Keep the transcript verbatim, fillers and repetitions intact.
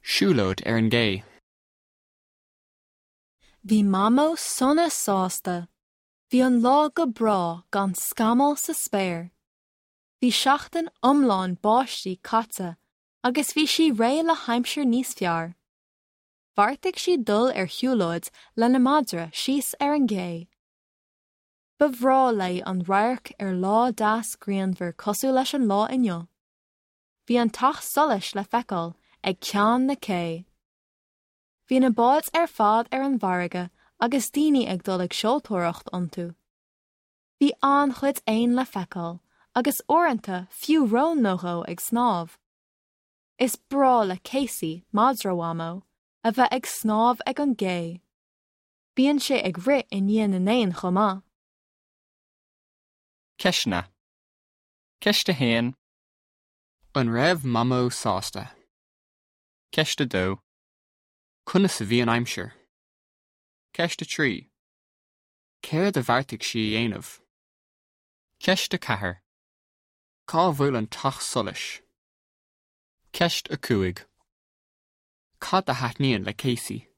Siúlóid ar an gcé. Bhí Mamó sona sásta. Bhí an lá go breá gan scamall sa spéir. Bhí seachtain iomlán báistí caite agus bhí sí réidh le haimsir níos fearr. Bheartaigh sí dul ar shiúlóid lena madra síos ar an gcé. Ba bhreá léi an radharc ar lá deas grianmhar cosúil leis an lá inniu. Bhí an teach solais le feiceáil ag ceann na cé. Bhí na báid ar fad ar an bhfarraige agus daoine ag dul ag seoltóireacht iontu. Bhí an-chuid éan le feiceáil agus uaireanta fiú rón nó dhó ag snámh. Is breá le Casey madra Mhamó a bheith ag snámh ag an gcé. Bíonn sé ag rith i ndiaidh na n-éan chomh maith. Ceisteanna. Ceist a haon. An raibh Mamó sásta. Ceist a dó. Conas a bhí an aimsir. Ceist a trí. Céard a bheartaigh sí a dhéanamh. Ceist a ceathair. Cá bhfuil an teach solais. Ceist a cúig. Cad a thaitníonn le Casey.